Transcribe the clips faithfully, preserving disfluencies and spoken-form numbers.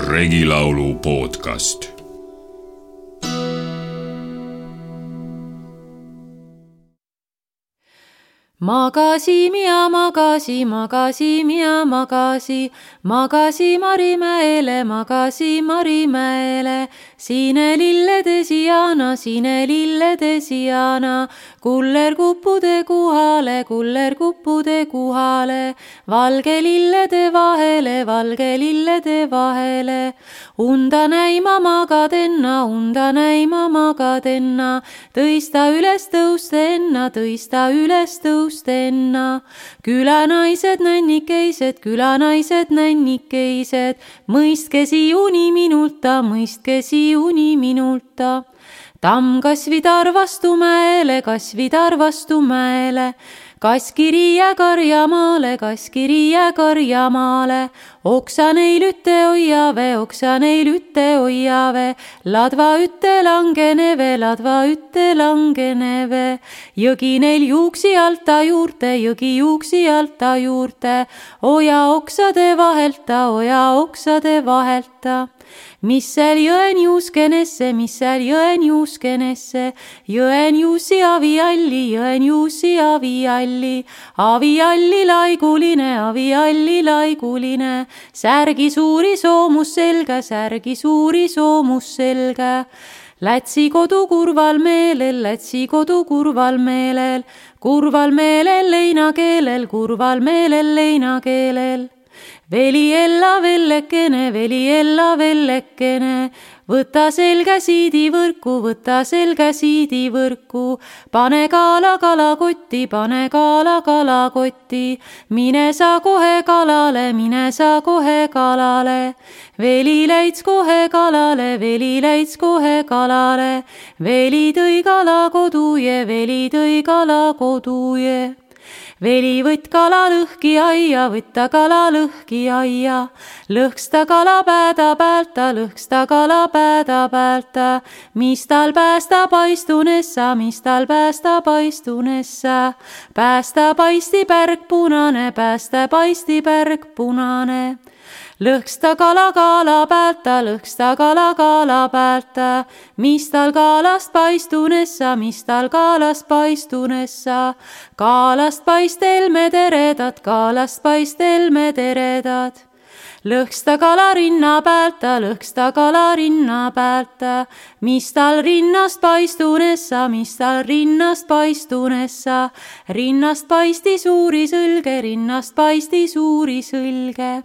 Regilaulu podcast. Magasi minä magasi, magasi minä magasi, magasi Marimäele, magasi Marimäele. Siine lillede sijana, siine lillede sijana, kuller kuppude kuhale, kuller kuppude kuhale, valge lillede vahele, valge lillede vahele. Unda näima magadenna, unda näima magadenna, tõista üles tõustenna, tõista üles tõustenna. Külanaised nännikeised, külanaised nännikeised, mõistke siuni minulta, mõistke siuni minulta. Tamm kasvidar vastu mäele, kasvidar vastu mäele, kaskiri ja karjamaale, kaskiri ja karjamaale. Oksa neil ütte hoiave, oksa neil ütte hoiave, ladva ütte langeneve, ladva ütte langeneve. Jõgi neil juuksi alta juurte, jõgi juuksi alta juurte, oja oksade vahelta, oja oksade vahelta. Mis seal jõen juuskenesse, mis seal jõen juuskenesse, jõen juusi avialli, jõen juusi avialli, avialli laiguline, avialli laiguline, särgi suuri soomus selga, särgi suuri soomus selga. Lätsi kodu kurval meelel, Lätsi kodu kurval meelel, kurval meelel leinakeelel, kurval meelel leinakeelel. Veli ella vellekene, veli ella vellekene, võta selga siidi võrku, võta selga siidi võrku, pane kaala kalakotti, pane kaala kalakotti, mine sa kohe kalale, mine sa kohe kalale, veli läits kohe kalale, veli läits kohe kalale, veli tõi kala koduje, veli tõi kala koduje. Veli võtt kala lõhki aia, võtta kala lõhki aia, lõhksta kala pääda päältä, lõhksta kala pääda päältä, mis tal päästä paistunessa, mis tal päästä paistunessa, päästä paisti pärg punane, päästä paisti pärg punane. Lõhksta kala kaala päältä, lõhksta kala kaala päältä, mis tal kaalast paistunessa, mis tal kaalast paistunessa, kaalast paistelme teredad, kaalast paistelme teredad. Lõhksta kala rinna päältä, lõhksta kala rinna päältä, mis tal rinnast paistunessa, mis tal rinnast paistunessa, rinnast paisti suuri sõlge, rinnast paisti suuri sõlge.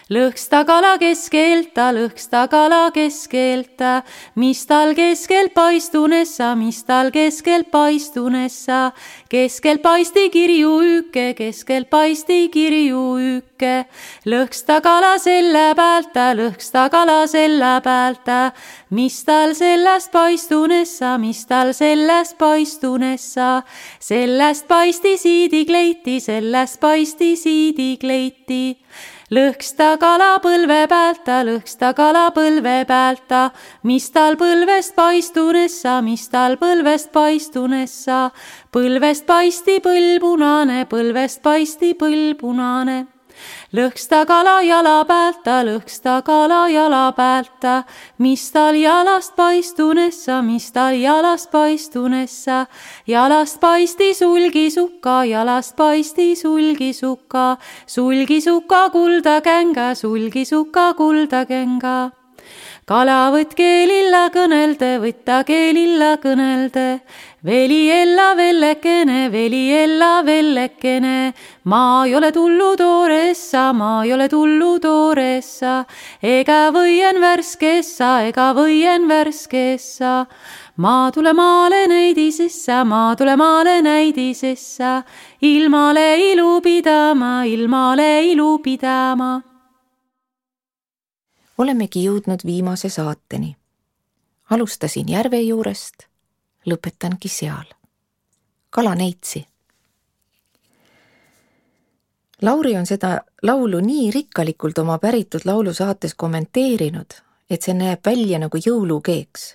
Lõhksta kala keskelta, lõhksta kala keskelta, mis tal keskel paistunessa, mis tal keskel paistunessa, keskel paisti kirju ükke, keskel paisti kirju ükke. Lõhksta kala selle päältä, lõhksta kala selle päältä, mis tal sellest paistunessa, mis tal sellest paistunessa, sellest paisti siidi kleiti, sellest paisti siidi kleiti. Lõhksta kala põlve päältä, lõhksta kala põlve päältä, mis tal põlvest paistunessa, mis tal põlvest paistunessa, põlvest paisti põll punane, põlvest paisti põll punane. Lõhksta kala jala päältä, lõhksta kala jala päältä, mis tal jalast paistunessa, mis tal jalast paistunessa, jalast paisti sulgisuka, jalast paisti sulgisuka, sulgisuka kulda känga, sulgisuka kulda känga. Kala võtt keelilla kõnelde, võtta keelilla kõnelde, veli ella vellekene, veli ella vellekene, ma ei ole tullu tooressa, ma ei ole tullu tooressa, ega võien värskessa, ega võien värskessa, ma tule maale näidisessa, ma tule maale näidisessa, ilmale ilu pidama, ilmale ilu pidama. Olemegi jõudnud viimase saateni. Alustasin järve juurest, lõpetangi seal. Kala neitsi. Lauri on seda laulu nii rikkalikult oma päritud laulu saates kommenteerinud, et see näeb välja nagu jõulukeeks,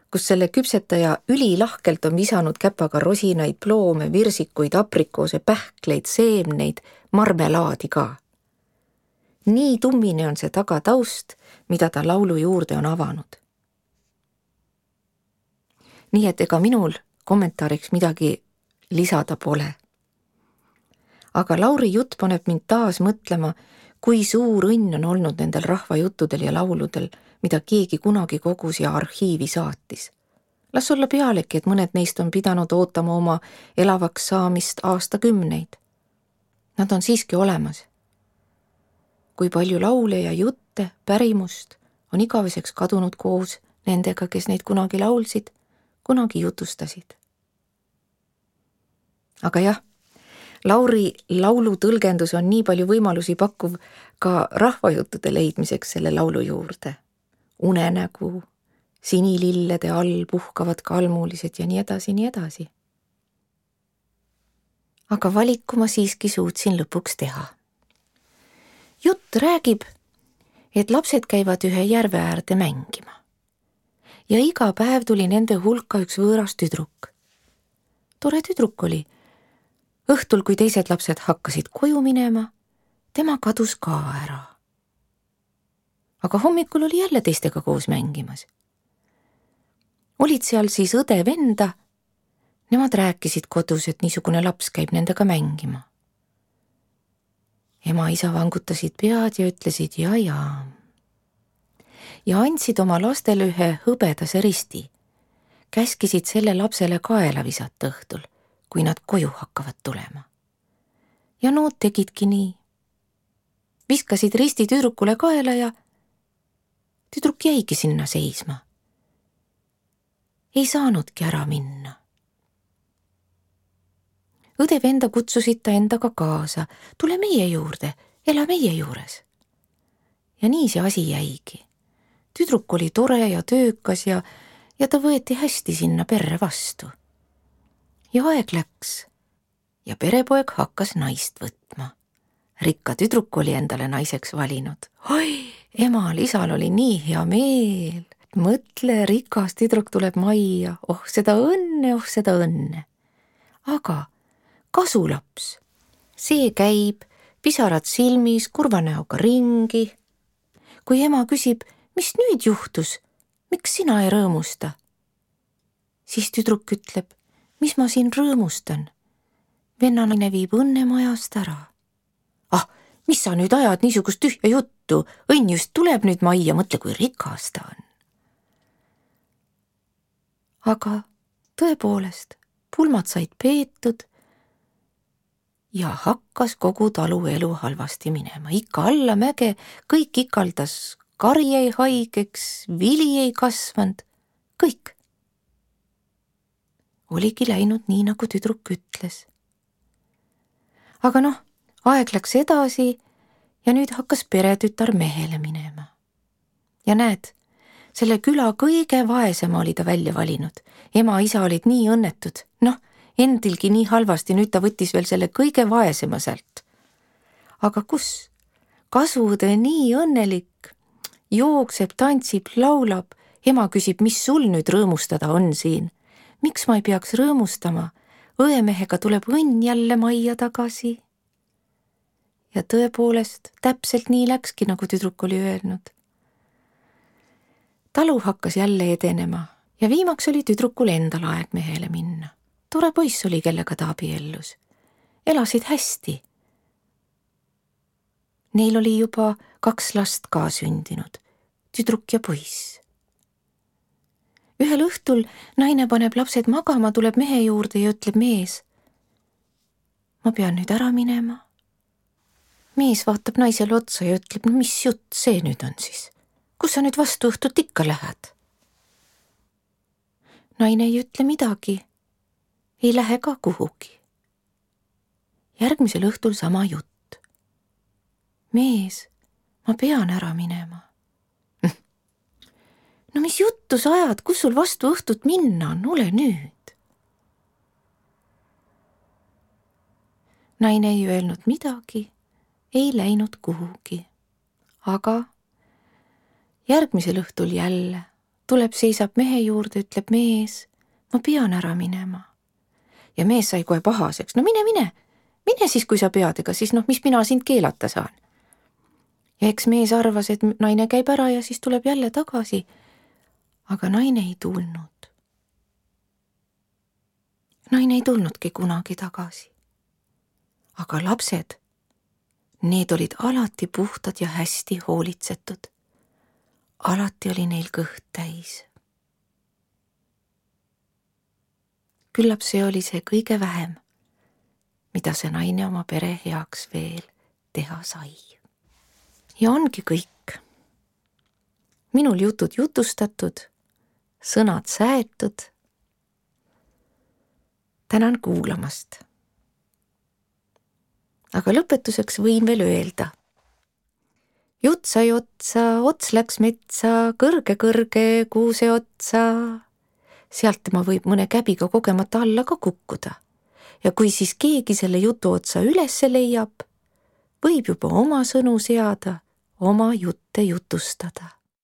kus selle küpsetaja ülilahkelt on visanud käpaga rosinaid, ploome, virsikuid, aprikoose, pähkleid, seemneid, marmelaadi ka. nii tummine on see tagataust, mida ta laulu juurde on avanud. Nii et ega minul kommentaariks midagi lisada pole. Aga Lauri jutt paneb mind taas mõtlema, kui suur õnn on olnud nendel rahvajuttudel ja lauludel, mida keegi kunagi kogus ja arhiivi saatis. Las olla pealegi, et mõned neist on pidanud ootama oma elavaks saamist aastakümneid. Nad on siiski olemas. Kui palju laule ja jutte, pärimust on igaveseks kadunud koos nendega, kes neid kunagi laulsid, kunagi jutustasid. Aga jah, Lauri laulu tõlgendus on nii palju võimalusi pakkuv ka rahvajuttude leidmiseks selle laulu juurde. Unenägu, sinilillede all puhkavad kalmulised ja nii edasi, nii edasi. Aga valiku ma siiski suutsin lõpuks teha. Jutt räägib, et lapsed käivad ühe järve äärde mängima. Ja iga päev tuli nende hulka üks võõras tüdruk. Tore tüdruk oli. Õhtul, kui teised lapsed hakkasid koju minema, tema kadus ka ära. Aga hommikul oli jälle teistega koos mängimas. Olid seal siis õde venda, nemad rääkisid kodus, et niisugune laps käib nendega mängima. Ema isa vangutasid pead ja ütlesid ja ja. Ja andsid oma lastele ühe hõbedase risti, käskisid selle lapsele kaela visata õhtul, kui nad koju hakkavad tulema. Ja nood tegidki nii. Viskasid risti tüdrukule kaela ja tüdruk jäigi sinna seisma. Ei saanudki ära minna. Õde venda kutsusid ta endaga kaasa, tule meie juurde, ela meie juures. Ja nii see asi jäigi. Tüdruk oli tore ja töökas ja, ja ta võeti hästi sinna perre vastu. Ja aeg läks ja perepoeg hakkas naist võtma. Rikka tüdruk oli endale naiseks valinud. Oi, emal, isal oli nii hea meel. Mõtle, rikas tüdruk tuleb majja. Oh, seda õnne, oh, seda õnne. Aga kasulaps, see käib, pisarad silmis, kurva näoga ringi. Kui ema küsib, mis nüüd juhtus, miks sina ei rõõmusta? Siis tüdruk ütleb, mis ma siin rõõmustan? Vennanaine viib õnne majast ära. Ah, mis sa nüüd ajad niisugust tühja juttu? Õnn just tuleb nüüd majja, mõtle, kui rikas ta on. Aga tõepoolest, pulmad said peetud ja hakkas kogu talu elu halvasti minema. Ikka alla mäge, kõik ikaldas, kari jäi haigeks, vili ei kasvanud, kõik. Oligi läinud nii, nagu tüdruk ütles. Aga noh, aeg läks edasi ja nüüd hakkas peretütar mehele minema. Ja näed, selle küla kõige vaesema oli ta välja valinud. Ema isa olid nii õnnetud. Noh, endilgi nii halvasti, nüüd ta võttis veel selle kõige vaesema sealt. Aga kus? Kasvuõde nii õnnelik. Jookseb, tantsib, laulab. Ema küsib, mis sul nüüd rõõmustada on siin? Miks ma ei peaks rõõmustama? Õemehega tuleb õnn jälle majja tagasi. Ja tõepoolest, täpselt nii läkski, nagu tüdruk oli öelnud. Talu hakkas jälle edenema ja viimaks oli tüdrukul endal aeg mehele minna. Tore poiss oli, kellega ta abiellus. Elasid hästi. Neil oli juba kaks last ka sündinud, tüdruk ja poiss. Ühel õhtul naine paneb lapsed magama, tuleb mehe juurde ja ütleb mees, ma pean nüüd ära minema. Mees vaatab naisele otsa ja ütleb, no mis jutt see nüüd on siis? Kus sa nüüd vastu õhtut ikka lähed? Naine ei ütle midagi, ei lähe ka kuhugi. Järgmisel õhtul sama jutt. Mees, ma pean ära minema. No mis juttu sa ajad, kus sul vastu õhtut minna on, ole nüüd. Naine ei öelnud midagi, ei läinud kuhugi, aga järgmisel õhtul jälle tuleb, seisab mehe juurde, ütleb mees, ma pean ära minema. Ja mees sai kohe pahaseks, no mine, mine, mine siis, kui sa pead, ega siis noh, mis mina sind keelata saan. ja eks mees arvas, et naine käib ära ja siis tuleb jälle tagasi. Aga naine ei tulnud. Naine ei tulnudki kunagi tagasi. Aga lapsed, need olid alati puhtad ja hästi hoolitsetud. Alati oli neil kõht täis. Küllap see oli see kõige vähem, mida see naine oma pere heaks veel teha sai. Ja ongi kõik. Minul jutud jutustatud, sõnad säetud. Tänan kuulamast. Aga lõpetuseks võin veel öelda. Jutt sai otsa, ots läks metsa, kõrge-kõrge kuuse otsa. Sealt tema võib mõne käbiga kogemata alla ka kukkuda. Ja kui siis keegi selle jutu otsa ülesse leiab, võib juba oma sõnu seada, oma jutte jutustada.